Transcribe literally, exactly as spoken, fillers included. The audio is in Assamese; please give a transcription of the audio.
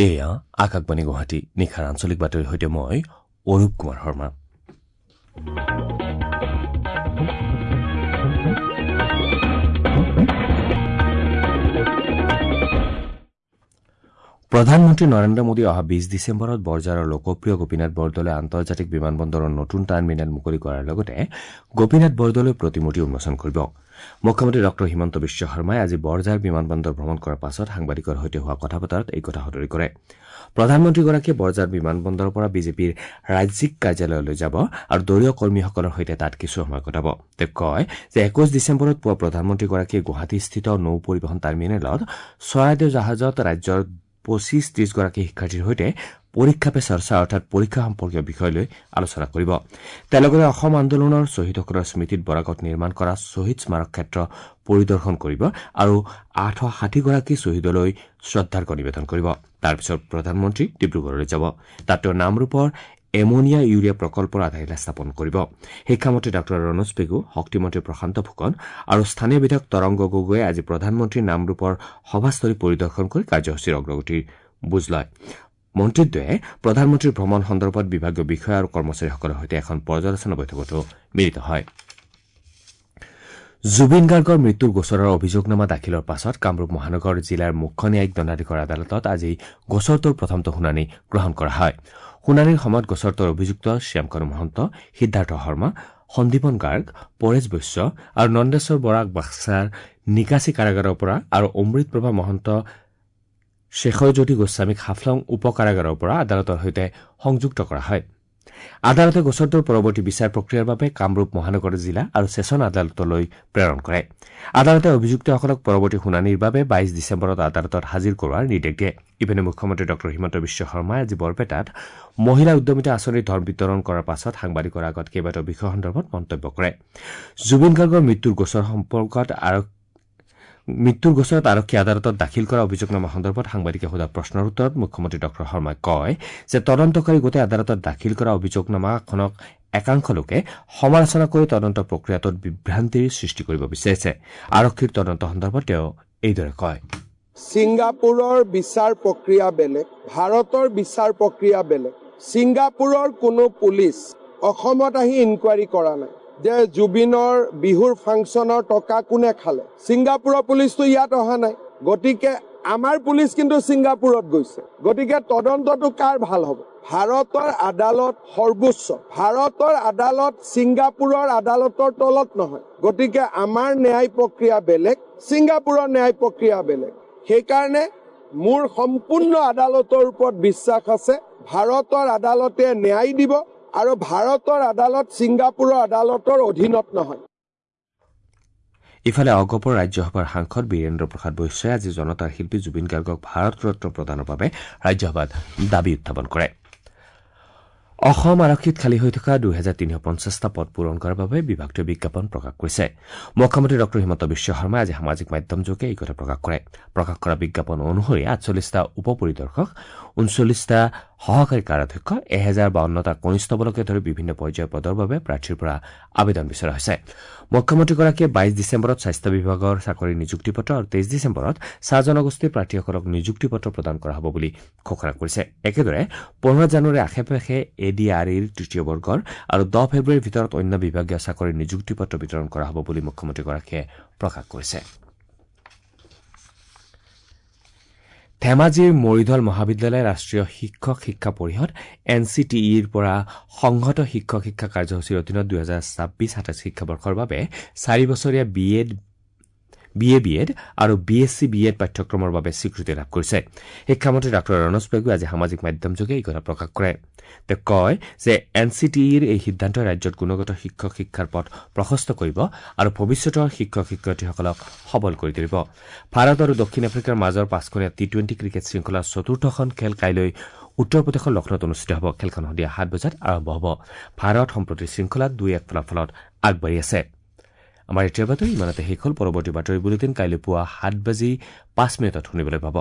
এয়া আকাশবাণী গুৱাহাটী, নিশাৰ আঞ্চলিক বাতৰিৰ সৈতে মই অৰূপ কুমাৰ শৰ্মা। প্ৰধানমন্ত্ৰী নৰেন্দ্ৰ মোদী অহা বিশ ডিচেম্বৰত বৰঝাৰৰ লোকপ্ৰিয় গোপীনাথ বৰদলৈ আন্তৰ্জাতিক বিমানবন্দৰৰ নতুন টাৰ্মিনেল মুকলি কৰাৰ লগতে গোপীনাথ বৰদলৈ প্ৰতিমূৰ্তি উন্মোচন কৰিব। মুখ্যমন্ত্ৰী ডঃ হিমন্ত বিশ্ব শৰ্মাই আজি বৰঝাৰ বিমানবন্দৰ ভ্ৰমণ কৰাৰ পাছত সাংবাদিকৰ সৈতে হোৱা কথা বতৰাত এই কথা সদৰি কৰে। প্ৰধানমন্ত্ৰীগৰাকীয়ে বৰঝাৰ বিমানবন্দৰৰ পৰা বিজেপিৰ ৰাজ্যিক কাৰ্যালয়লৈ যাব আৰু দলীয় কৰ্মীসকলৰ সৈতে তাত কিছু সময় কটাব। তেওঁ কয় যে একৈশ ডিচেম্বৰত পুৱা প্ৰধানমন্ত্ৰীগৰাকীয়ে গুৱাহাটীস্থিত নৌ পৰিবহণ টাৰ্মিনেলত চৰাইদেউ জাহাজত ৰাজ্যৰ পঁচিছ ত্ৰিশগৰাকী শিক্ষাৰ্থীৰ সৈতে পৰীক্ষা পে চৰ্চা অৰ্থাৎ পৰীক্ষা সম্পৰ্কীয় বিষয় লৈ আলোচনা কৰিব। তেওঁ লগতে অসম আন্দোলনৰ শ্বহীদসকলৰ স্মৃতিত বৰাকত নিৰ্মাণ কৰা শ্বহীদ স্মাৰক ক্ষেত্ৰ পৰিদৰ্শন কৰিব আৰু আঠশ ষাঠিগৰাকী শ্বহীদলৈ শ্ৰদ্ধাৰ্ঘ্য নিবেদন কৰিব। তাৰ পিছত প্ৰধানমন্ত্ৰী ডিব্ৰুগড়লৈ যাব। তাত তেওঁ নামৰূপৰ এমনিয়া ইউৰিয়া প্ৰকল্পৰ আধাৰশিলা স্থাপন কৰিব। শিক্ষামন্ত্ৰী ডঃ ৰণোজ পেগু, শক্তিমন্ত্ৰী প্ৰশান্ত ফুকন আৰু স্থানীয় বিধায়ক তৰংগ গগৈয়ে আজি প্ৰধানমন্ত্ৰীৰ নামৰূপৰ সভাস্থলী পৰিদৰ্শন কৰি কাৰ্যসূচীৰ অগ্ৰগতিৰ বুজ লয়। মন্ত্ৰীদ্বয়ে প্ৰধানমন্ত্ৰীৰ ভ্ৰমণ সন্দৰ্ভত বিভাগীয় বিষয়া আৰু কৰ্মচাৰীসকলৰ সৈতে এখন পৰ্যালোচনা বৈঠকতো মিলিত হয়। জুবিন গাৰ্গৰ মৃত্যুৰ গোচৰৰ অভিযোগনামা দাখিলৰ পাছত কামৰূপ মহানগৰ জিলাৰ মুখ্য ন্যায়িক দণ্ডাধীশৰ আদালতত আজি গোচৰটোৰ প্ৰথমটো শুনানি গ্ৰহণ কৰা হয়। শুনানিৰ সময়ত গোচৰটোৰ অভিযুক্ত শ্যামকানু মহন্ত, সিদ্ধাৰ্থ শৰ্মা, সন্দীপন গাৰ্গ, পৰেশ বৈশ্য আৰু নন্দেশ্বৰ বৰাক বাক্সাৰ নিকাচি কাৰাগাৰৰ পৰা আৰু অমৃতপ্ৰভা মহন্ত, শেখৰজ্যোতি গোস্বামীক হাফলং উপ কাৰাগাৰৰ পৰা আদালতৰ সৈতে সংযুক্ত কৰা হয়। আদালতে গোচৰটোৰ পৰৱৰ্তী বিচাৰ প্ৰক্ৰিয়াৰ বাবে কামৰূপ মহানগৰ জিলা আৰু ছেছন আদালতলৈ প্ৰেৰণ কৰে। আদালতে অভিযুক্তসকলক পৰৱৰ্তী শুনানিৰ বাবে বাইশ ডিচেম্বৰত আদালতত হাজিৰ কৰোৱাৰ নিৰ্দেশ দিয়ে। ইপিনে মুখ্যমন্ত্ৰী ডঃ হিমন্ত বিশ্ব শৰ্মাই আজি বৰপেটাত মহিলা উদ্যমিতা আঁচনিৰ ধন বিতৰণ কৰাৰ পাছত সাংবাদিকৰ আগত কেইবাটাও বিষয় সন্দৰ্ভত মন্তব্য কৰে। জুবিন গাৰ্গৰ মৃত্যুৰ গোচৰ সম্পৰ্কত মৃত্যুৰ গোচৰত আৰক্ষী আদালতত দাখিল কৰা অভিযোগনামা সন্দৰ্ভত সাংবাদিকে সোধা প্ৰশ্নৰ উত্তৰত মুখ্যমন্ত্ৰী ডঃ শৰ্মাই কয় যে তদন্তকাৰী গোটে আদালতত দাখিল কৰা অভিযোগনামাখনক একাংশ লোকে সমালোচনা কৰি তদন্ত প্ৰক্ৰিয়াটোত বিভ্ৰান্তিৰ সৃষ্টি কৰিব বিচাৰিছে। আৰক্ষীৰ তদন্ত সন্দৰ্ভত তেওঁ এইদৰে কয়, ছিংগাপুৰৰ বিচাৰ প্ৰক্ৰিয়া বেলেগ, ভাৰতৰ বিচাৰ প্ৰক্ৰিয়া বেলেগ। ছিংগাপুৰৰ কোনো পুলিচ অসমত আহি ইনকুৱাৰী কৰা নাই যে জুবিনৰ বিহুৰ ফাংচনৰ টকা কোনে খালে। ছিংগাপুৰৰ পুলিচটো ইয়াত অহা নাই, গতিকে আমাৰ পুলিচ কিন্তু ছিংগাপুৰত গৈছে। গতিকে তদন্তটো কাৰ ভাল হ'ব? ভাৰতৰ আদালত সৰ্বোচ্চ, ভাৰতৰ আদালত ছিংগাপুৰৰ আদালতৰ তলত নহয়। গতিকে আমাৰ ন্যায় প্ৰক্ৰিয়া বেলেগ, ছিংগাপুৰৰ ন্যায় প্ৰক্ৰিয়া বেলেগ। সেইকাৰণে মোৰ সম্পূৰ্ণ আদালতৰ ওপৰত বিশ্বাস আছে। ভাৰতৰ আদালতে ন্যায় দিব আৰু ভাৰতৰ আদালত ছিংগাপুৰৰ আদালতৰ অধীনত নহয়। ইফালে অগপৰ ৰাজ্যসভাৰ সাংসদ বীৰেন্দ্ৰ প্ৰসাদ বৈশ্যই আজি জনতাৰ শিল্পী জুবিন গাৰ্গক ভাৰত ৰত্ন প্ৰদানৰ বাবে ৰাজ্যসভাত দাবী উত্থাপন কৰে। অসম আৰক্ষীত খালী হৈ থকা দুহেজাৰ তিনিশ পঞ্চাছটা পদ পূৰণ কৰাৰ বাবে বিভাগটোৱে বিজ্ঞাপন প্ৰকাশ কৰিছে। মুখ্যমন্ত্ৰী ডঃ হিমন্ত বিশ্ব শৰ্মাই আজি সামাজিক মাধ্যমযোগে এই কথা প্ৰকাশ কৰে। প্ৰকাশ কৰা বিজ্ঞাপন অনুসৰি আঠচল্লিছটা উপ পৰিদৰ্শক, ঊনচল্লিছটা সহকাৰী কাৰাধ্যক্ষ, এহেজাৰ বাৱন্নটা কনিষ্টবলকে ধৰি বিভিন্ন পৰ্যায়ৰ পদৰ বাবে প্ৰাৰ্থীৰ পৰা আবেদন বিচৰা হৈছে। মুখ্যমন্ত্ৰীগৰাকীয়ে বাইশ ডিচেম্বৰত স্বাস্থ্য বিভাগৰ চাকৰিৰ নিযুক্তি পত্ৰ আৰু তেইছ ডিচেম্বৰত চাহ জনগোষ্ঠীৰ প্ৰাৰ্থীসকলক নিযুক্তি পত্ৰ প্ৰদান কৰা হ'ব বুলি ঘোষণা কৰিছে। একেদৰে পোন্ধৰ জানুৱাৰীৰ আশে পাশে এ ডি আৰ ইৰ তৃতীয় বৰ্গৰ আৰু দহ ফেব্ৰুৱাৰীৰ ভিতৰত অন্য বিভাগীয় চাকৰিৰ নিযুক্তি পত্ৰ বিতৰণ কৰা হ'ব বুলি মুখ্যমন্ত্ৰীগৰাকীয়ে প্ৰকাশ কৰিছে। ধেমাজিৰ মৰিধল মহাবিদ্যালয়ে ৰাষ্ট্ৰীয় শিক্ষক শিক্ষা পৰিষদ এন চি টি ইৰ পৰা সংহত শিক্ষক শিক্ষা কাৰ্যসূচীৰ অধীনত দুহেজাৰ ছাব্বিছ সাতাইছ শিক্ষাবৰ্ষৰ বাবে চাৰি বছৰীয়া B Ed B A B Ed আৰু B S C B Ed পাঠ্যক্ৰমৰ বাবে স্বীকৃতি লাভ কৰিছে। শিক্ষামন্ত্ৰী ডাঃ ৰণোজ পেগুৱে আজি সামাজিক মাধ্যমযোগে এই কথা প্ৰকাশ কৰে। তেওঁ কয় যে এন চি টি ইৰ এই সিদ্ধান্তই ৰাজ্যত গুণগত শিক্ষক শিক্ষাৰ পথ প্ৰশস্ত কৰিব আৰু ভৱিষ্যতৰ শিক্ষক শিক্ষয়িত্ৰীসকলক সবল কৰি তুলিব। ভাৰত আৰু দক্ষিণ আফ্ৰিকাৰ মাজৰ পাঁচখনীয়া টি টুৱেণ্টি ক্ৰিকেট শৃংখলাৰ চতুৰ্থখন খেল কাইলৈ উত্তৰ প্ৰদেশৰ লক্ষ্ণৌত অনুষ্ঠিত হ'ব। খেলখন সন্ধিয়া সাত বজাত আৰম্ভ হ'ব। ভাৰত সম্প্ৰতি শৃংখলাত দুই এক ফলাফলত আগবাঢ়ি আছে। আমাৰ এতিয়াৰ বাতৰি ইমানতে শেষ হ'ল। পৰৱৰ্তী বাতৰি বুলেটিন কাইলৈ পুৱা সাত বাজি পাঁচ মিনিটত শুনিবলৈ পাব।